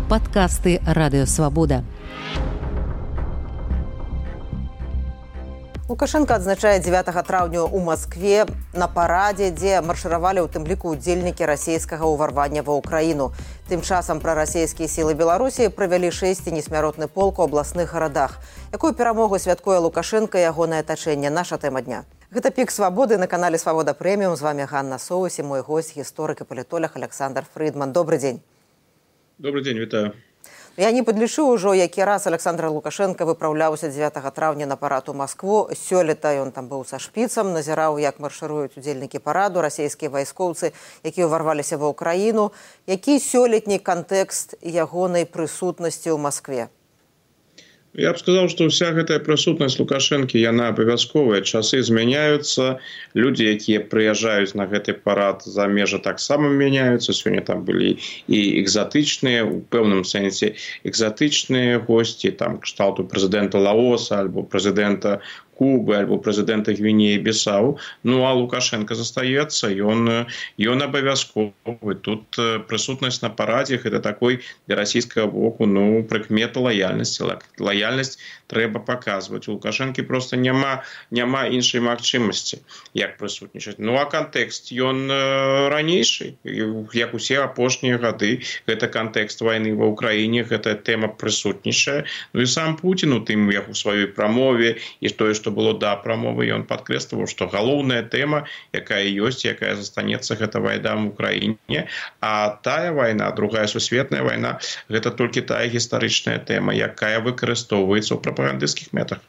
Падкасты Радыё Свабода. Лукашенко адзначае 9 траўня ў Маскве на парадзе, дзе маршыравалі ў тым ліку ўдзельнікі расійскага ўварвання ва ўкраіну. Тым часам прарасійскія сілы Беларусі правялі 6 несмяротны полк у абласных гарадах. Якую перамогу святкуе Лукашенко і ягонае атачэнне? Наша тэма дня. Гэта «Пік свабоды» на канале «Свабода Прэміум». З вами Ганна Соус і мой гость, гісторык і палітолог Александр Фридман. Добрый дзень. Добрый дзень, вітаю. Я не падлічу ўжо, які раз Александр Лукашенко выпраўляўся 9 траўня на парад у Маскву. Сёлета ён там быў са шпіцам, назіраў, як маршыруюць удзельнікі параду, расійскія вайскоўцы, якія ўварваліся ва ўкраіну. Які сёлетні кантэкст ягонай прысутнасці ў Маскве? Я б сказал, что вся гэтая прысутнасць Лукашэнкі, яна абавязковая. Часы змяняюцца, людзі, якія прыязджаюць на гэты парад за межы, таксама мяняюцца. Сёння там былі і экзатычныя, у пэўным сэнсе экзатычныя госці, там кшталту прэзідэнта Лаоса альбо прэзідэнта Кубы альбо прэзідэнта Гвінеі-Бісау. Ну, а Лукашенко застаецца, ён абавязковы. Тут прысутнасць на парадзе, гэта такой для расійскага боку, ну, прыкмета лаяльнасці. Лаяльнасць трэба паказваць. У Лукашэнкі проста няма іншай магчымасці, як прысутнічаць. Ну, а кантэкст, ён ранейшы, як усе апошнія гады. Гэта кантэкст вайны ва ўкраіне, гэта тэма прысутнічае. Ну, і сам Пуцін у тым, як у сваёй прамове, і тое, што было да прамовы, ён падкрэсліваў, што галоўная тэма, якая ёсць, якая застанецца, гэта вайна ў Украіне, а тая вайна, другая сусветная вайна, гэта толькі тая гістарычная тэма, якая выкарыстоўваецца ў прапагандысцкіх мэтах.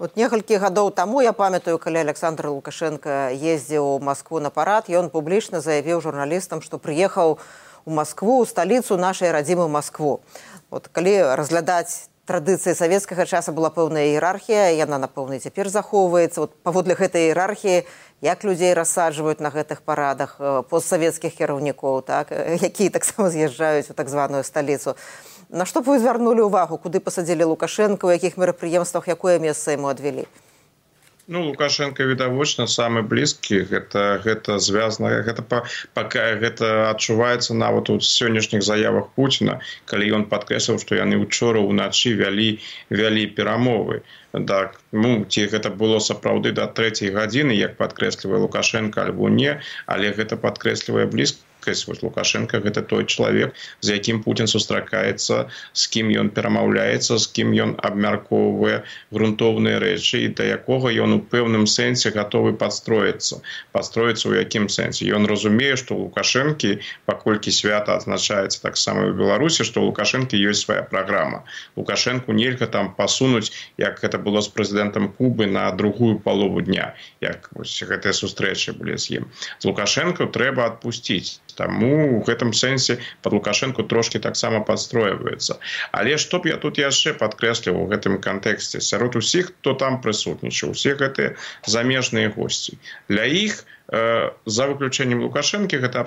Вот некалькі гадоў таму, я памятаю, калі Александр Лукашенко ездзіў у Маскву на парад, ён публічна заявіў журналістам, што прыехаў у Маскву, у сталіцу нашай радзімы Маскву. Вот калі разглядаць традыцыі савецкага часу, была пэўная іерархія, яна, напэўна, цяпер захоўваецца. Вот паводле гэтай іерархіі, як людзей рассаджваюць на гэтых парадах постсавецкіх кіраўнікоў, так, якія таксама з'язджаюць у так званую сталіцу. На што б вы звярнулі ўвагу, куды пасадзілі Лукашенка, у якіх мерапрыемствах, якое месца яму адвялі? Ну, Лукашенко, відавочна, самы блізкі, гэта звязана, гэта адчуваецца нават у сённяшніх заявах Пуціна, калі ён падкрэсліў, што яны ўчора ўначы вялі перамовы. Так, ну, ці гэта было сапраўды да 3 гадзіны, як падкрэслівае Лукашенко, альбо не, але гэта падкрэслівае блізкасць. Лукашенко – гэта той чалавек, з якім Пуцін сустракаецца, з кім ён перамаўляецца, з кім ён абмяркоўвае грунтоўныя рэчы і да якога ён у пэўным сэнсе гатовы падстроіцца. Падстроіцца ў якім сэнсе? Ён разумее, што у Лукашэнкі, паколькі свята адзначаецца таксама ў Беларусі, што ў Лукашэнкі ёсць свая праграма. Лукашэнку нельга там пасунуць, як гэта было з прэзідэнтам Кубы, на другую палову дня, як гэтыя сустрэчы былі з ім. З Лукашэнка трэба адпусціць. Таму ў гэтым сэнсе пад Лукашэнку трошкі таксама падстройваецца. Але што б я тут яшчэ падкрэсліў у гэтым кантэксце? Сярод усіх, хто там прысутнічаў, усе гэтыя замежныя госці. Для іх, за выключэннем Лукашэнкі, гэта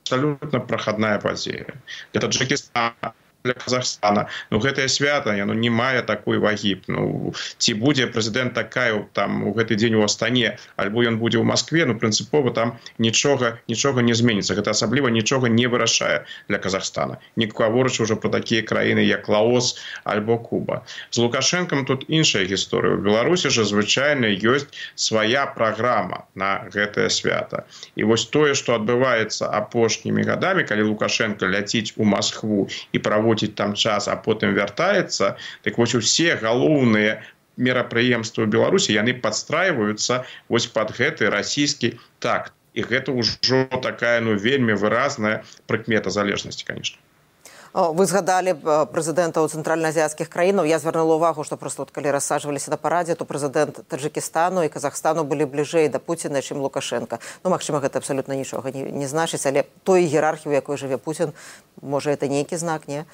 абсалютна прахадная падзея. Для Таджыкістана, для Казахстана. Ну, гэтае свята, яно не мае такой вагі. Ну, ці будзе прэзідэнт Такаеў там у гэты дзень у Астане, альбо ён будзе ў Маскве, ну, прынцыпова там нічога не зменіцца. Гэта асабліва нічога не вырашае для Казахстана. Не гаворачы ўжо пра такія краіны, як Лаос альбо Куба. З Лукашэнкам тут іншая гісторыя. У Беларусі жа звычайна ёсць свая праграма на гэтае свята. І вось тое, што адбываецца апошнімі гадамі, калі Лукашенко ляціць у Маскву і праводзіць там час, а потым вяртаецца, так вось усе галоўныя мерапрыемствы ў Беларусі, яны падстрайваюцца вось пад гэты расійскі такт. І гэта ўжо такая, ну, вельмі выразная прыкмета залежнасці, канешне. Вы згадалі прэзідэнтаў цэнтральнаазіяцкіх краінаў. Я звярнула ўвагу, што проста калі рассаджваліся на парадзе, то прэзідэнт Таджыкістану і Казахстану былі бліжэй да Пуціна, чым Лукашенка. Ну, магчыма, гэта абсалютна нічога не значыць, але той іерархіі, у якой жыве Пуцін, можа, гэта нейкі знак, не?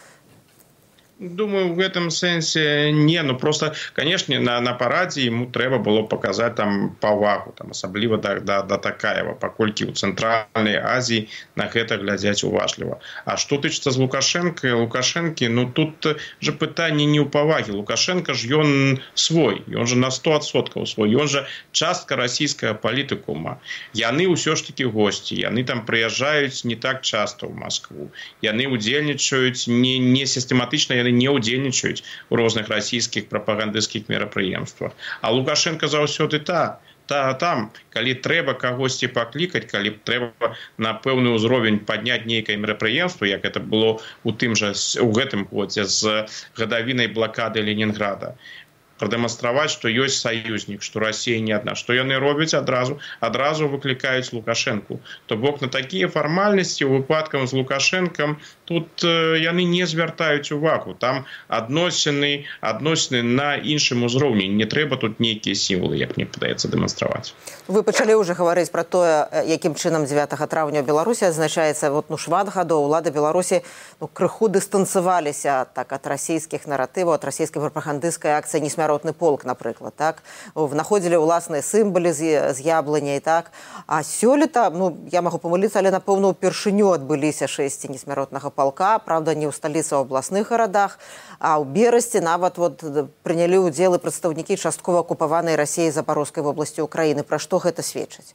Думаю, в гэтым сэнсе не, ну просто, канешне, на парадзе ему трэба было паказаць там павагу, там асабліва да Такаева, паколькі ў Цэнтральнай Азіі на гэта глядзяць уважліва. А што тычыцца з Лукашэнкі, ну тут же пытанне не ў павагі. Лукашенко ж ён свой, ён же на 100% свой, ён же частка расійскага палітыкума. Яны ўсё ж такі госці, яны там прыязджаюць не так часта ў Маскву. Яны удзельнічаюць не сістэматычна, яны не удзельнічаюць у розных расійскіх прапагандысцкіх мерапрыемствах. А Лукашенко заўсёды там, калі трэба кагосьці паклікаць, калі трэба на пэўны ўзровень падняць нейкае мерапрыемства, як это было у гэтым годзе з гадавінай блакады Ленінграда, прадэманстраваць, што ёсць саюзнік, што Расія не адна. Што яны робяць адразу выклікаюць Лукашэнку. То бок на такія фармальнасці ў выпадках з Лукашэнкам тут яны не звяртаюць увагу. Там адносіны на іншым узроўні. Не трэба тут нейкія сімвалы, як мне падаецца, дэманстраваць. Вы пачалі ўжо гаварыць пра тое, якім чынам 9 траўня ў Беларусі адзначаецца. Шмат гадоў улады Беларусі крыху дыстанцаваліся так ад расійскіх наратываў, ад расійскай прапагандысцкай акцыі «Несмяротны полк», напрыклад, так? Знаходзілі ўласныя сімвалы з яблыняй, так? А сёлета, я магу памыліцца, але, напэўна, упершыню адбыліся шэсці несмяротнага полка, правда, не ў сталіцы, а ў абласных гарадах, а ў Берасці нават прынялі ўдзел і прадстаўнікі часткова акупаванай Расіяй Запарожскай вобласці Украіны. Пра што гэта сведчыць?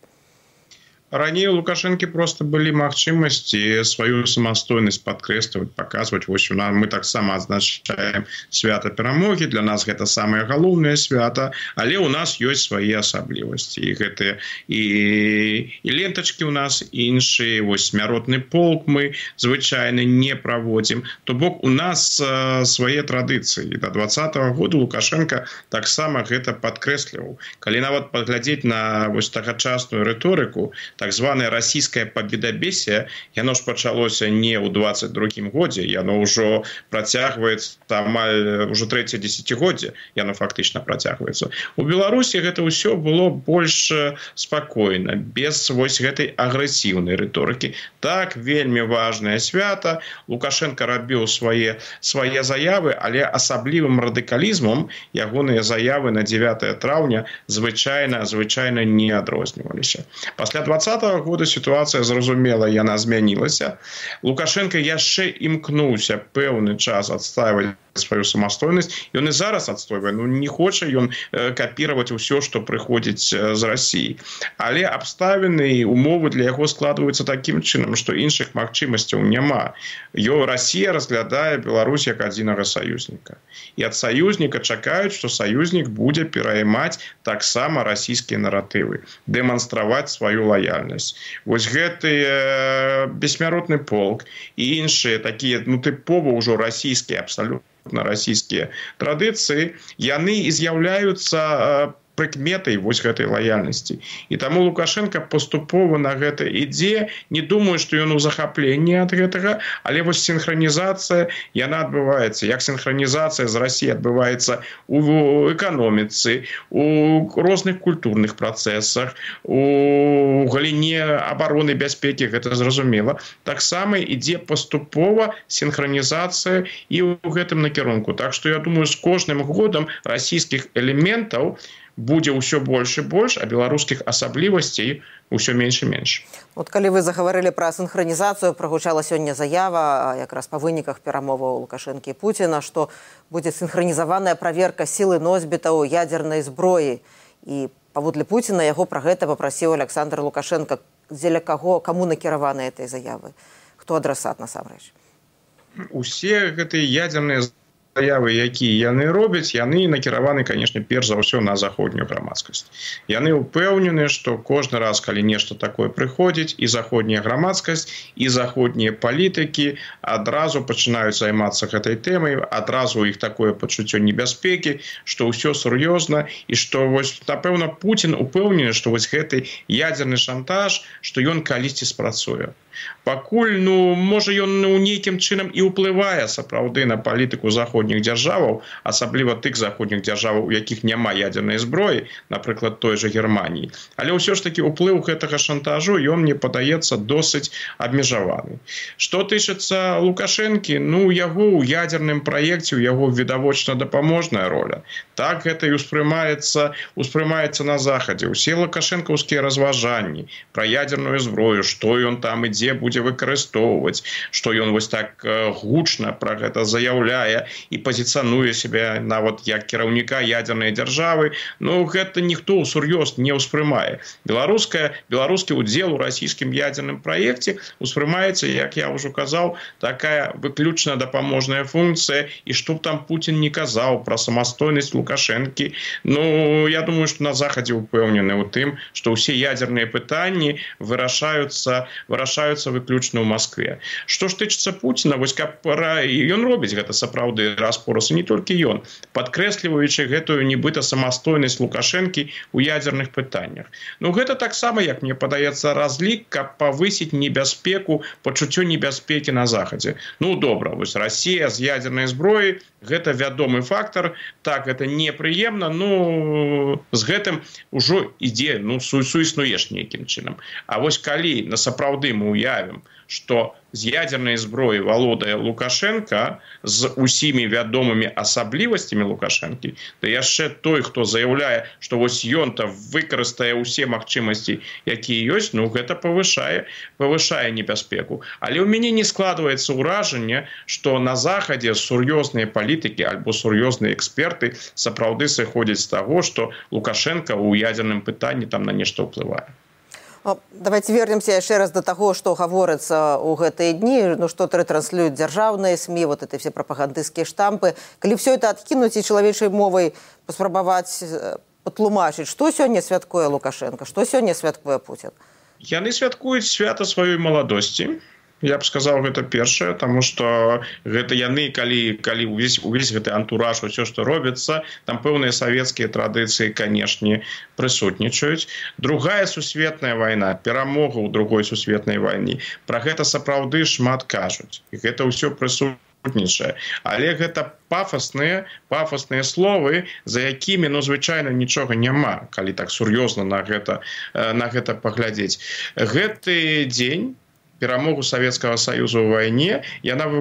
Раней у Лукашэнкі просто былі магчымасці сваю самастойнасць падкрэсліваць, паказваць. Вось мы таксама адзначаем свята перамогі. Для нас гэта самае галоўнае свята, але ў нас ёсць свае асаблівасці. І гэтыя і лентачкі ў нас іншыя. Вось смяротны полк мы звычайна не праводзім. То бок у нас свае традыцыі. Да 2020 года Лукашенко таксама гэта падкрэсліваў. Калі нават паглядзець на вось тагачасную рыторыку, так званое расійскае пабедабесие, яно ж пачалося не ў 22-м годзе, яно ўжо працягваецца амаль уже 3-е дзесяцігоддзе, яно фактычна працягваецца. У Беларусі гэта ўсё было больш спакойна, без вось гэтай агрэсіўнай рыторыкі. Так, вельмі важнае свята, Лукашенко рабіў свае заявы, але асаблівым радыкалізмам ягоныя заявы на 9 траўня звычайна не адрозніваліся. Пасля 2020 года сітуацыя, зразумела, яна змянілася. Лукашенко яшчэ імкнуўся пэўны час адстайваць сваю самастойнасць. Ён і зараз адстойвае, не хоча ён капіраваць усё, што прыходзіць з Расіі. Але абставіны і умовы для яго складваюцца такім чынам, што іншых магчымасцяў няма. Расія разглядае Беларусь як адзінага саюзніка. І ад саюзніка чакаюць, што саюзнік будзе пераймаць таксама расійскія наратывы, дэманстраваць сваю лаяльнасць. Вось гэты бессмяротны полк і іншыя такія, тыпова ўжо расійскія, абсалютна расійскія традыцыі, яны і з'яўляюцца прыкметай вось гэтай лаяльнасці. І таму Лукашенко паступова на гэта ідзе, не думаю, што ён у захапленні ад гэтага, але вось сінхранізацыя, яна адбываецца. Як сінхранізацыя з Расіяй адбываецца у эканоміцы, у розных культурных працэсах, у галіне абароны бяспекі, гэта зразумела. Таксама ідзе паступова сінхранізацыя і ў гэтым накірунку. Так што я думаю, з кожным годам расійскіх элементаў будзе ўсё больш і больш, а беларускіх асаблівасцей усё менш і менш. Калі вы загаварылі пра сінхранізацыю, прагучала сёння заява якраз па выніках перамоваў Лукашэнкі і Пуціна, што будзе сінхранізаваная праверка сілы носьбітаў ядзернай зброі. І паводле Пуціна яго пра гэта папрасіў Александр Лукашенко. Дзеля каго, каму накіраваны гэтай заявы? Хто адрасат насамрэч? Усе гэтыя ядзерныя заявы, якія яны робяць, яны накіраваны, канешне, перш за ўсё на заходнюю грамадскасць. Яны ўпэўнены, што кожны раз, калі нешта такое прыходзіць, і заходняя грамадскасць, і заходнія палітыкі адразу пачынаюць займацца гэтай тэмай, адразу у іх такое пачуццё небяспекі, што ўсё сур'ёзна, і што, вось, напэўна, Пуцін упэўнены, што вось гэты ядзерны шантаж, што ён калісьці спрацуе. Пакуль, ну, можа ён нейкім чынам і ўплывае сапраўды на палітыку заходніх дзяржаваў, асабліва тых заходніх дзяржаваў, у якіх няма ядзернай зброі, напрыклад, той жа Германіі. Але ўсё ж такі ўплыў гэтага шантажу, ён, мне падаецца, досыць абмежаваны. Што тычыцца Лукашэнкі, ну, яго ў ядзерным праекце, у яго відавочна дапаможная роля. Так гэта і успрымаецца на Захадзе. Усе лукашэнкаўскія разважанні пра ядзерную зброю, што ён там і дзе будзе выкарыстоўваць, што ён вось так гучна пра гэта заяўляе і пазіцыянуе сябе нават як кіраўніка ядзернай дзяржавы, ну гэта ніхто ўсур'ёз не ўспрымае. Беларускі ўдзел у расійскім ядзерным праекце ўспрымаецца, як я ўжо казаў, такая выключна дапаможная функцыя, і што б там Путін не казаў пра самастойнасць Лукашэнкі, ну я думаю, што на Захадзе ўпэўнены ў тым, што ўсе ядзерныя пытанні вырашаюцца выключна ў Маскве. Што ж тычыцца Пуціна, вось каб ён робіць гэта сапраўды раз-пораз, і не толькі ён, падкрэсліваючы гэтую нібыта самастойнасць Лукашэнкі ў ядзерных пытаннях. Ну гэта таксама, як мне падаецца, разлік, каб павысіць небяспеку, пачуццё небяспекі на Захадзе. Ну добра, вось Расія з ядзернай зброяй, гэта вядомы фактар, так, гэта непрыемна, ну з гэтым ужо ідзе, ну суіснуеш нейкім чынам. А вось калі насапраўды мы уявім, што з ядзернай зброі валодае Лукашенка з усімі вядомымі асаблівасцямі Лукашэнкі, да яшчэ той, хто заяўляе, што вось ён-то выкарыстае ўсе магчымасці, якія ёсць, ну гэта павышае небяспеку. Але ў мяне не складваецца ўражанне, што на Захадзе сур'ёзныя палітыкі альбо сур'ёзныя эксперты сапраўды сыходзяць з таго, што Лукашенка ў ядзерным пытанні там на нешта ўплывае. Давайте вернемся яшчэ раз до таго, што гаворыцца ў гэтыя дні, ну што ретранслююць дзяржаўныя СМІ, вот это все прапагандысцкія штампы. Калі все это адкінуць і чалавечай мовай паспрабаваць патлумачыць, што сёння святкуе Лукашенко, што сёння святкуе Путін? Яны святкуюць свята сваёй маладосці. Я б сказаў, гэта першае, таму што гэта яны, калі увесь гэты антураж, усё, што робіцца, там пэўныя савецкія традыцыі, канешне, прысутнічаюць. Другая сусветная вайна, перамога ў другой сусветнай вайне, пра гэта сапраўды шмат кажуць. І гэта ўсё прысутнічае. Але гэта пафасныя словы, за якімі, ну, звычайна, нічога няма, калі так сур'ёзна на гэта паглядзець. Гэты дзень, перамогу Савецкага Саюзу ў вайне,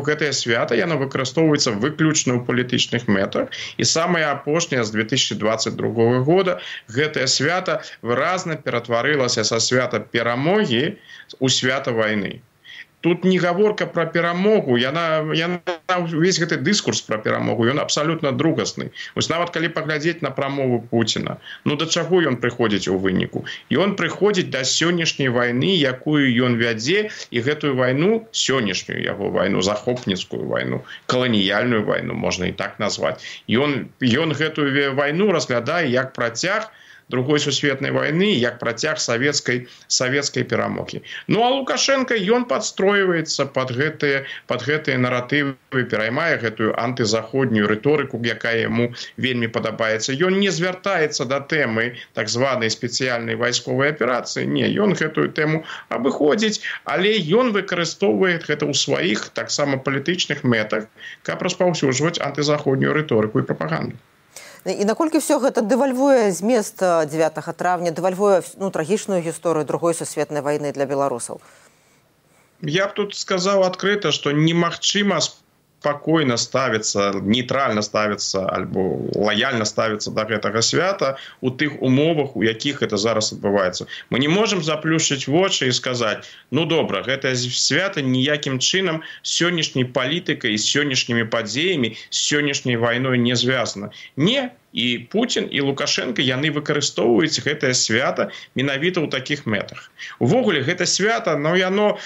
гэтае свята, яно выкарыстоўваецца выключна ў палітычных мэтах. І самае апошняе з 2022 года гэтае свята выразна ператварылася са свята перамогі ў свята вайны. Тут не гаворка пра перамогу, увесь гэты дыскурс пра перамогу, ён абсалютна другасны. Вось нават калі паглядзець на прамову Пуціна, ну да чаго ён прыходзіць у выніку? Ён прыходзіць да сённяшняй вайны, якую ён вядзе, і гэтую вайну, сённяшнюю яго вайну, захопніцкую вайну, каланіяльную вайну, можна і так назваць. Ён гэтую вайну разглядае як працяг другой сусветнай вайны, як працяг савецкай перамогі. Ну а Лукашенко, ён падстройваецца пад гэтыя наратывы, пераймае гэтую антызаходнюю рыторыку, якая яму вельмі падабаецца. Ён не звяртаецца да тэмы так званай спецыяльнай вайсковай аперацыі. Не, ён гэтую тэму абыходзіць, але ён выкарыстоўвае гэта ў сваіх таксама палітычных мэтах, каб распаўсюджваць антызаходнюю рыторыку і прапаганду. І наколькі все гэта дэвальвуе змест 9 травня, дэвальвуе трагічную гісторыю другой сусветнай вайны для беларусаў? Я б тут сказаў адкрыта, што немагчыма спакойна ставіцца, нейтральна ставіцца альбо лаяльна ставіцца да гэтага свята у тых умовах, у якіх гэта зараз адбываецца. Мы не можам заплюшчыць вочы і сказаць, ну добра, гэтае свята ніякім чынам з сённяшняй палітыкай, з сённяшнімі падзеямі, з сённяшняй вайной не звязана. Не, і Путін, і Лукашенко, яны выкарыстоўваюць гэтае свята менавіта ў такіх мэтах. Увогуле, гэта свята, яно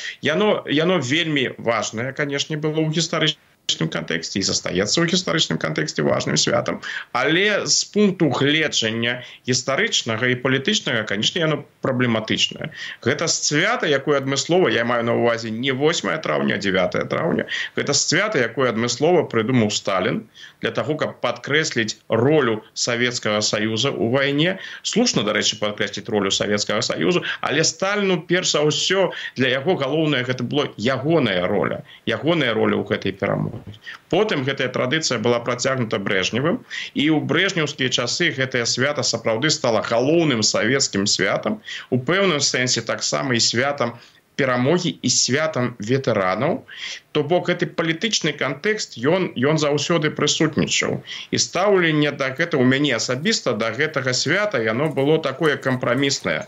вельмі важнае, канешне, было ў гістарычным кантэксце і застаецца ў гістарычным кантэксце важным святам, але з пункту гледжання гістарычнага і палітычнага, канешне, яно праблематычнае. Гэта свята, якое адмыслова, я маю на ўвазе не 8 траўня, а 9 траўня, гэта свята, якое адмыслова прыдумаў Сталін для таго, каб падкрэсліць ролю Савецкага Саюза ў вайне. Слушна, дарэчы, падкрэсліць ролю Савецкага Саюзу, але Сталіну перш за ўсё для яго галоўнае гэта было ягоная роля ў гэтай перамогі. Потым гэтая традыцыя была працягнута Брэжневым, і ў брэжнеўскія часы гэтае свята сапраўды стала галоўным савецкім святам, у пэўным сэнсе таксама і святам перамогі і святам ветэранаў. То бок гэты палітычны кантэкст ён заўсёды прысутнічаў. І стаўленне да гэта ў мяне асабіста да гэтага свята яно было такое кампраміснае.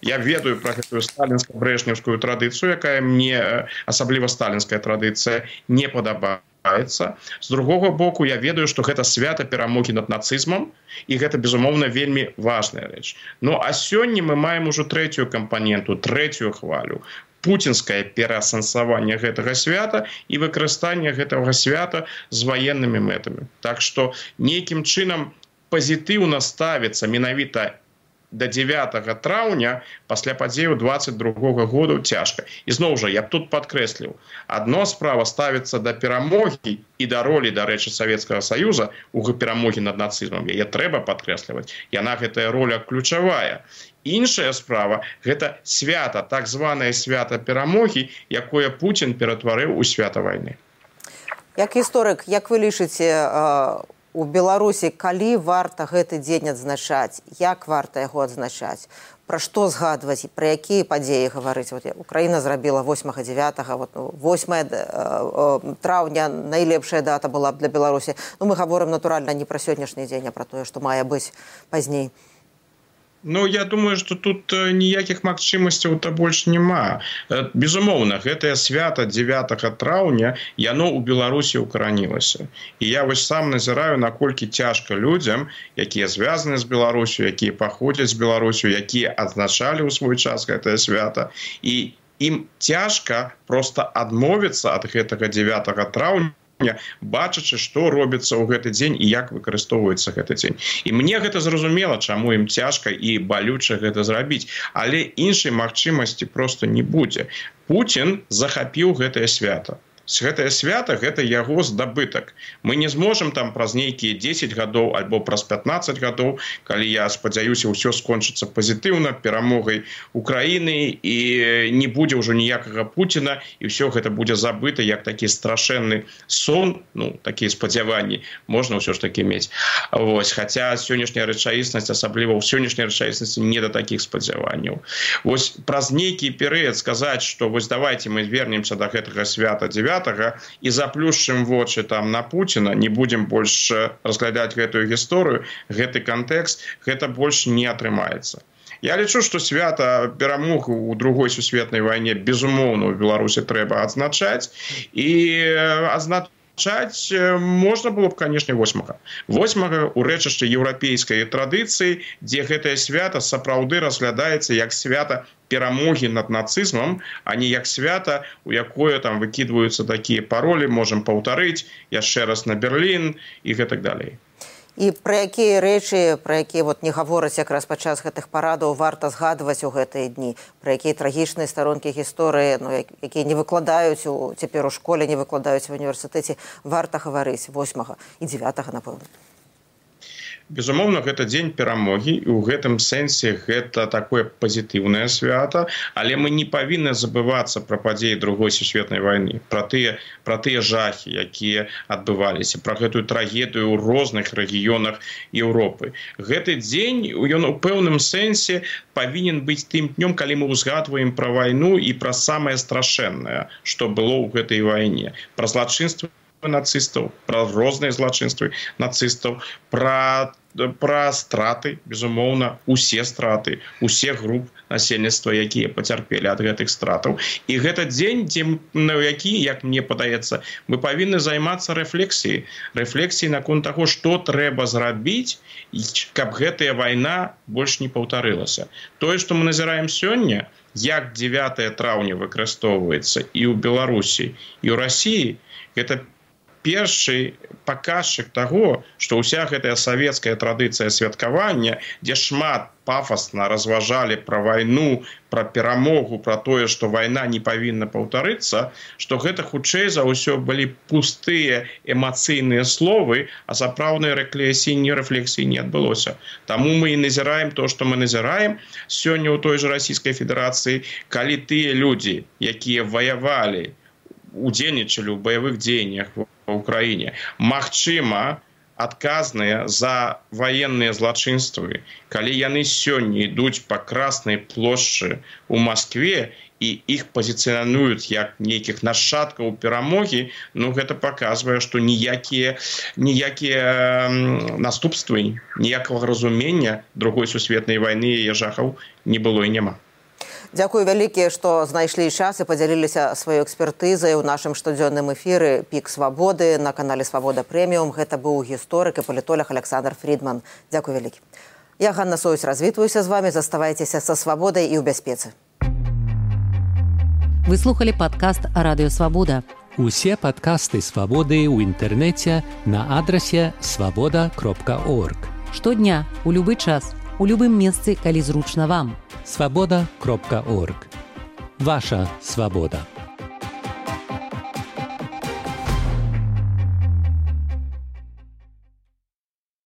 Я ведаю пра гэтую сталінска-брэжнеўскую традыцыю, якая мне, асабліва сталінская традыцыя, не падабаецца. З другога боку, я ведаю, што гэта свята перамогі над нацызмам, і гэта, безумоўна, вельмі важная рэч. Ну, а сёння мы маем ужо трэцюю кампаненту, трэцюю хвалю. Пуцінскае пераасэнсаванне гэтага свята і выкарыстанне гэтага свята з ваеннымі мэтамі. Так што нейкім чынам пазітыўна ставіцца менавіта до 9 траўня пасля падзеяў 22 году цяжка. І зноў жа, я б тут падкрэсліў, адно справа ставіцца да перамогі і да ролі, дарэчы, Савецкага Саюза у перамогі над нацызмам. Яе трэба падкрэсліваць. Яна, гэтая роля, ключавая. Іншая справа – гэта свята, так званае свята перамогі, якое Пуцін ператварыў у свята вайны. Як гісторык, як вы лічыце, у Беларусі, калі варта гэты дзень адзначаць, як варта яго адзначаць, пра што згадваць, пра якія падзеі гаварыць? Украіна зрабіла 8-9, 8 траўня найлепшая дата была б для Беларусі. Ну, мы гаворым, натуральна, не пра сённяшні дзень, а пра тое, што мае быць пазней. Ну, я думаю, што тут ніякіх магчымасцяў-то больш няма. Безумоўна, гэтае свята 9 траўня, яно ў Беларусі укаранілася. І я вось сам назіраю, наколькі цяжка людзям, якія звязаны з Беларусю, якія паходзяць з Беларусю, якія адзначалі ў свой час гэтае свята. І ім цяжка проста адмовіцца ад гэтага 9 траўня, бачачы, што робіцца ў гэты дзень і як выкарыстоўваецца гэты дзень. І мне гэта зразумела, чаму ім цяжка і балюча гэта зрабіць. Але іншай магчымасці проста не будзе. Пуцін захапіў гэтае свята. Гэтае свята – гэта яго здабытак. Мы не зможам там праз нейкія 10 гадоў альбо праз 15 гадоў, калі, я спадзяюся, ўсё скончыцца пазітыўна, перамогай Украіны, і не будзе ўжо ніякага Пуціна, і ўсё гэта будзе забыта, як такі страшэнны сон, ну, такія спадзяванні можна ўсё ж такі мець. Вось, хаця сённяшняя рэчаіснасць, асабліва ў сённяшняй рэчаіснасці, не да такіх спадзяванняў. Вось праз нейкі перыяд сказаць, што вось давайте мы вернемся да гэтага свята 9 і заплюшчым вочы там на Пуціна, не будзем больш разглядаць гэтую гісторыю, гэты кантэкст, гэта больш не атрымаецца. Я лічу, што свята перамог у Другой сусветнай вайне, безумоўна, у Беларусі трэба адзначаць, і адзначаць можна было б, канешне, 8-га. 8-га ў рэчышчы еўрапейскай традыцыі, дзе гэтае свята сапраўды разглядаецца як свята перамогі над нацызмам, а не як свята, у якое там выкідваюцца такія паролі, можам паўтарыць яшчэ раз на Берлін і гэтак далей. І пра якія рэчы, пра якія не гавораць якраз падчас гэтых парадаў, варта згадваць у гэтыя дні, пра якія трагічныя старонкі гісторыі, якія не выкладаюць цяпер у школе, не выкладаюць в універсітэце, варта гаварыць 8-га і 9-га, напэўна. Безумоўна, гэта дзень перамогі, і ў гэтым сэнсе гэта такое пазітыўнае свята, але мы не павінны забывацца пра падзеі Другой сусветнай вайны, пра тыя жахі, якія адбываліся, пра гэтую трагедыю ў розных рэгіёнах Еўропы. Гэты дзень, ён у пэўным сэнсе павінен быць тым днём, калі мы ўзгадваем пра вайну і пра самае страшэннае, што было ў гэтай вайне, пра злачынствы нацыстаў, пра розныя злачынствы нацыстаў, пра страты, безумоўна, усе страты, усе груп насельніцтва, якія пацярпелі ад гэтых стратаў. І гэта дзень, на які, як мне падаецца, мы павінны займацца рэфлексіяй наконт таго, што трэба зрабіць, каб гэтая вайна больш не паўтарылася. Тое, што мы назіраем сёння, як 9 траўня выкарыстоўваецца і ў Беларусі, і ў Расіі, гэта першы паказчык таго, што ўся гэтая савецкая традыцыя святкавання, дзе шмат пафасна разважалі пра вайну, пра перамогу, пра тое, што вайна не павінна паўтарыцца, што гэта хутчэй за ўсё былі пустыя эмацыйныя словы, а сапраўднай рэфлексіі не адбылося. Таму мы і назіраем то, што мы назіраем сёння ў той жа Расійскай Федэрацыі, калі тыя людзі, якія ваявалі, удзельнічалі ў баявых дзеяннях ва ўкраіне, магчыма, адказныя за ваенныя злачынствы, калі яны сёння ідуць па Краснай плошчы ў Маскве і іх пазіцыянуюць як нейкіх нашчадкаў перамогі, гэта паказвае, што ніякія наступствы, ніякага разумення другой сусветнай вайны і яе жахаў не было і няма. Дзякую вялікі, што знайшлі час і падзяліліся сваёй экспертызай у нашым штодзённым эфіры «Пік свабоды» на канале «Свабода Прэміум». Гэта быў гісторык і палітолог Александр Фрідман. Дзякуй вялікі. Я, Ганна Союсь, развітваюся з вамі. Заставайцеся са свабодай і ў бяспецы. Вы слухали падкаст «Радыё Свабода». Усе падкасты «Свабоды» ў інтэрнэце на адрасе свабода.орг. Штодня, у любы час, у любым месцы, калі зручна вам. Свабода.орг. Ваша свабода.